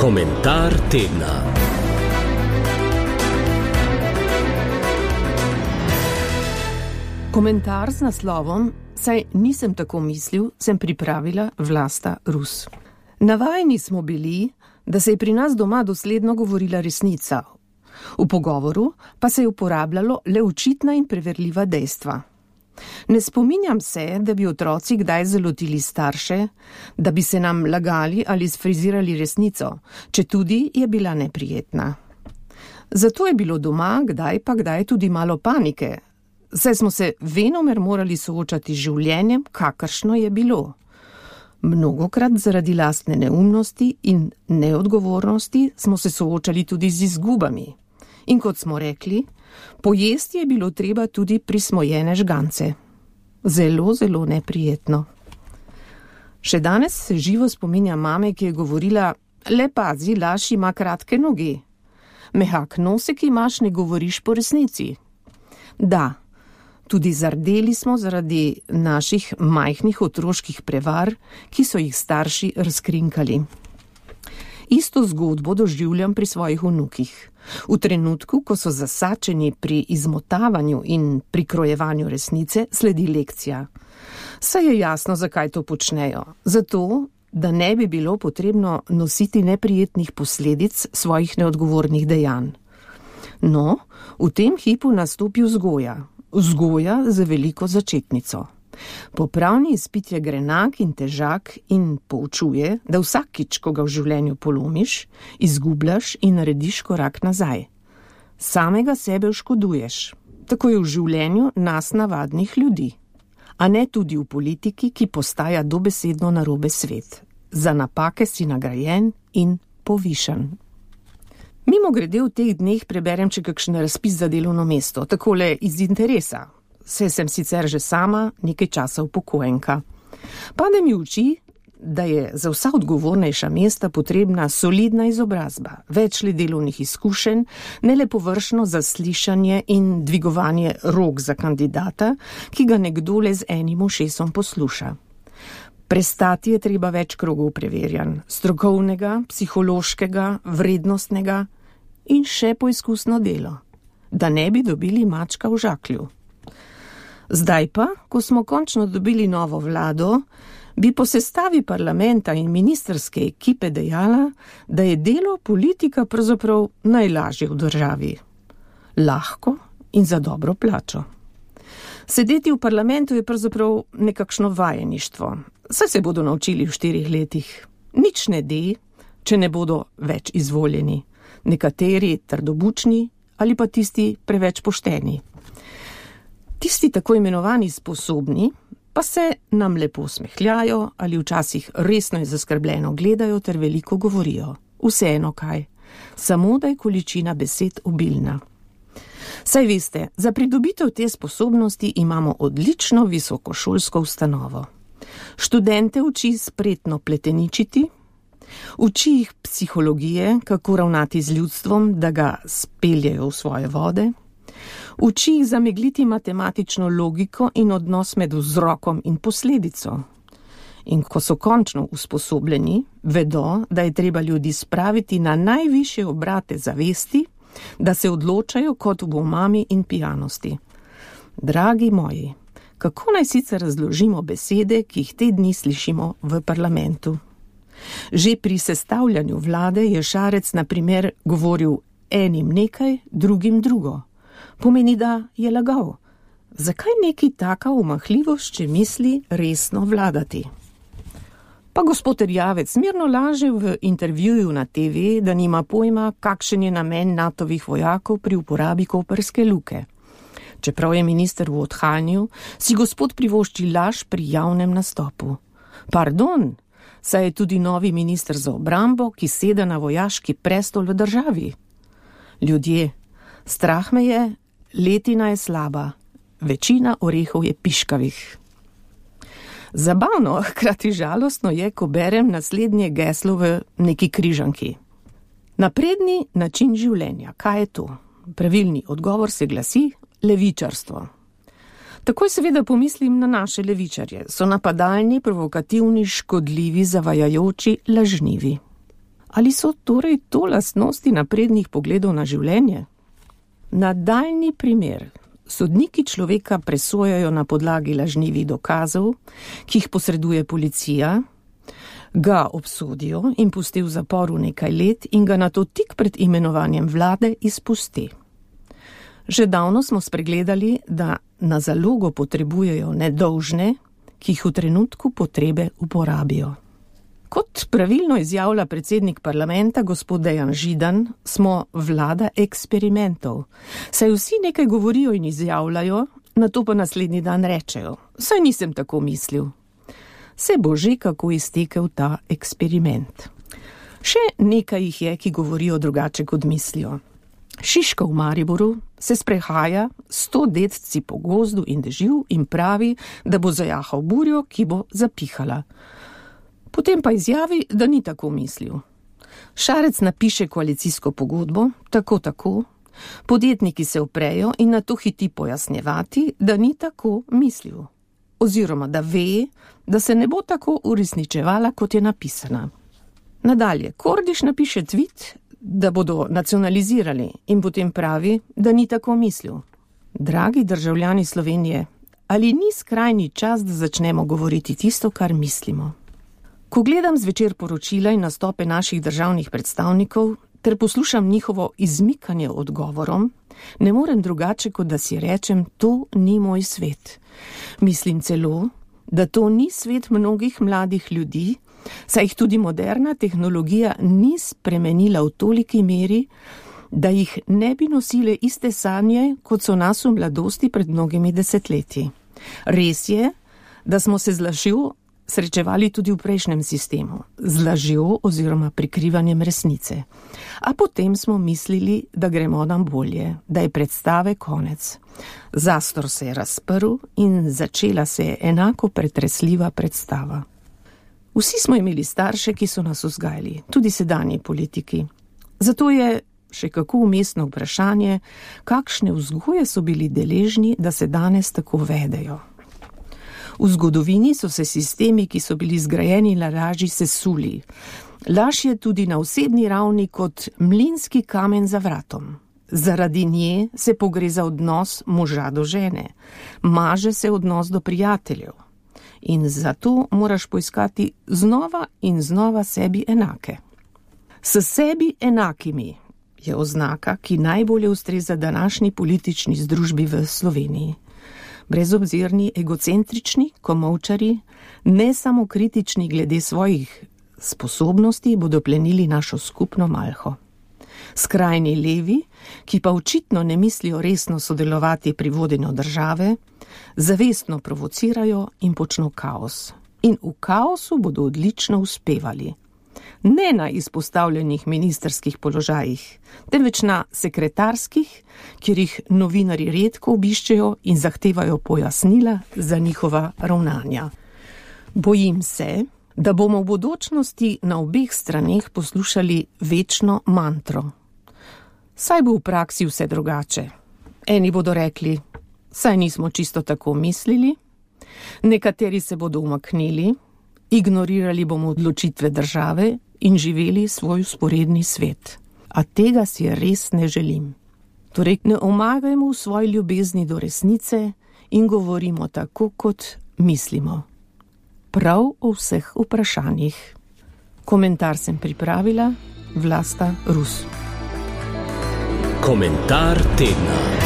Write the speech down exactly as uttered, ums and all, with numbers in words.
Komentar tedna. Komentar z naslovom Saj nisem tako mislil, sem pripravila Vlasta Rus. Navajeni smo bili, da se je pri nas doma dosledno govorila resnica. V pogovoru pa se je uporabljalo le očitna in preverljiva dejstva. Ne spominjam se, da bi otroci kdaj zalotili starše, da bi se nam lagali ali sfrizirali resnico, četudi je bila neprijetna. Zato je bilo doma kdaj pa kdaj tudi malo panike, saj smo se venomer morali soočati z življenjem, kakršno je bilo. Mnogokrat zaradi lastne neumnosti in neodgovornosti smo se soočali tudi z izgubami. In kot smo rekli, pojesti je bilo treba tudi prismojene žgance. Zelo, zelo neprijetno. Še danes se živo spominja mame, ki je govorila, le pazi, laž ima kratke noge. Mehak nosek imaš, ne govoriš po resnici. Da, tudi zardeli smo zaradi naših majhnih otroških prevar, ki so jih starši razkrinkali. Isto zgodbo doživljam pri svojih vnukih. V trenutku, ko so zasačeni pri izmotavanju in prikrojevanju resnice, sledi lekcija. Saj je jasno, zakaj to počnejo. Zato, da ne bi bilo potrebno nositi neprijetnih posledic svojih neodgovornih dejanj. No, v tem hipu nastopi vzgoja. Vzgoja za veliko začetnico. Popravni izpit je grenak in težak in poučuje, da vsakič, ko ga v življenju polomiš, izgubljaš in narediš korak nazaj. Samega sebe oškoduješ. Tako je v življenju nas navadnih ljudi. A ne tudi v politiki, ki postaja dobesedno narobe svet. Za napake si nagrajen in povišan. Mimogrede v teh dneh preberem še kakšen razpis za delovno mesto, takole iz interesa. Saj sem sicer že sama nekaj časa upokojenka. Pade mi v oči, da je za vsa odgovornejša mesta potrebna solidna izobrazba, več le delovnih izkušenj, ne le površno zaslišanje in dvigovanje rok za kandidata, ki ga nekdo le z enim ušesom posluša. Prestati je treba več krogov preverjanj, strokovnega, psihološkega, vrednostnega in še poizkusno delo, da ne bi dobili mačka v žaklju. Zdaj pa, ko smo končno dobili novo vlado, bi po sestavi parlamenta in ministrske ekipe dejala, da je delo politika pravzaprav najlažje v državi. Lahko in za dobro plačo. Sedeti v parlamentu je pravzaprav nekakšno vajeništvo. Saj se bodo naučili v štirih letih. Nič ne de, če ne bodo več izvoljeni. Nekateri trdobučni ali pa tisti preveč pošteni. Tisti tako imenovani sposobni pa se nam lepo smehljajo ali včasih resno in zaskrbljeno gledajo ter veliko govorijo. Vseeno kaj, samo da je količina besed obilna. Saj veste, za pridobitev te sposobnosti imamo odlično visokošolsko ustanovo. Študente uči spretno pleteničiti, uči jih psihologije, kako ravnati z ljudstvom, da ga speljejo v svoje vode, uči jih zamegliti matematično logiko in odnos med vzrokom in posledico. In ko so končno usposobljeni, vedo, da je treba ljudi spraviti na najvišje obrate zavesti, da se odločajo kot v omami in pijanosti. Dragi moji, kako naj sicer razložimo besede, ki jih te dni slišimo v parlamentu? Že pri sestavljanju vlade je Šarec na primer govoril enim nekaj, drugim drugo. Pomeni, da je lagal. Zakaj neki taka omahljivost, če misli resno vladati? Pa gospod Erjavec mirno laže v intervjuju na te ve, da nima pojma, kakšen je namen Natovih vojakov pri uporabi Koprske luke. Čeprav je minister v odhajanju, si gospod privošči laž pri javnem nastopu. Pardon, saj je tudi novi minister za obrambo, ki sede na vojaški prestol v državi. Ljudje, strah me je, letina je slaba, večina orehov je piškavih. Zabavno, hkrati žalostno je, ko berem naslednje geslo v neki križanki. Napredni način življenja, kaj je to? Pravilni odgovor se glasi levičarstvo. Takoj seveda pomislim na naše levičarje. So napadalni, provokativni, škodljivi, zavajajoči, lažnivi. Ali so torej to lastnosti naprednih pogledov na življenje? Nadaljnji primer. Sodniki človeka presojajo na podlagi lažnivih dokazov, ki jih posreduje policija, ga obsodijo in pusti v zaporu nekaj let in ga nato tik pred imenovanjem vlade izpusti. Že davno smo spregledali, da na zalogo potrebujejo nedolžne, ki jih v trenutku potrebe uporabijo. Kot pravilno izjavlja predsednik parlamenta gospod Dejan Židan, smo vlada eksperimentov. Saj vsi nekaj govorijo in izjavljajo, nato pa naslednji dan rečejo, saj nisem tako mislil. Se bo že kako iztekel ta eksperiment. Še nekaj jih je, ki govorijo drugače kot mislijo. Šiška v Mariboru se sprehaja sto dedci po gozdu in dežju in pravi, da bo zajahal burjo, ki bo zapihala. Potem pa izjavi, da ni tako mislil. Šarec napiše koalicijsko pogodbo, tako tako, podjetniki se uprejo in nato hiti pojasnjevati, da ni tako mislil. Oziroma, da ve, da se ne bo tako uresničevala, kot je napisana. Nadalje, Kordiš napiše tweet, da bodo nacionalizirali in potem pravi, da ni tako mislil. Dragi državljani Slovenije, ali ni skrajni čas, da začnemo govoriti tisto, kar mislimo? Ko gledam zvečer poročila in nastope naših državnih predstavnikov, ter poslušam njihovo izmikanje odgovorom, ne morem drugače, kot da si rečem, to ni moj svet. Mislim celo, da to ni svet mnogih mladih ljudi, saj jih tudi moderna tehnologija ni spremenila v toliki meri, da jih ne bi nosile iste sanje, kot so nas v mladosti pred mnogimi desetletji. Res je, da smo se z lažjo srečevali tudi v prejšnjem sistemu, z lažjo oziroma prikrivanjem resnice. A potem smo mislili, da gremo nam bolje, da je predstave konec. Zastor se je razprl in začela se je enako pretresljiva predstava. Vsi smo imeli starše, ki so nas vzgajali, tudi sedanji politiki. Zato je še kako umestno vprašanje, kakšne vzgoje so bili deležni, da se danes tako vedejo. V zgodovini so se sistemi, ki so bili zgrajeni na laži, sesuli. Laž je tudi na osebni ravni kot mlinski kamen za vratom. Zaradi nje se pogreza odnos moža do žene, maže se odnos do prijateljev. In zato moraš poiskati znova in znova sebi enake. S sebi enakimi je oznaka, ki najbolje ustreza današnji politični združbi v Sloveniji. Brezobzirni, egocentrični, komolčari, ne samo kritični glede svojih sposobnosti, bodo plenili našo skupno malho. Skrajni levi, ki pa očitno ne mislijo resno sodelovati pri vodenju države, zavestno provocirajo in počno kaos. In v kaosu bodo odlično uspevali. Ne na izpostavljenih ministrskih položajih, temveč na sekretarskih, kjer jih novinarji redko obiščejo in zahtevajo pojasnila za njihova ravnanja. Bojim se, da bomo v bodočnosti na obeh straneh poslušali večno mantro. Saj bo v praksi vse drugače. Eni bodo rekli, saj nismo čisto tako mislili, nekateri se bodo umaknili, ignorirali bomo odločitve države in živeli svoj vzporedni svet. A tega si res ne želim. Torej, ne omagajmo v svoji ljubezni do resnice in govorimo tako, kot mislimo. Prav o vseh vprašanjih. Komentar sem pripravila Vlasta Rus. Komentar tedna.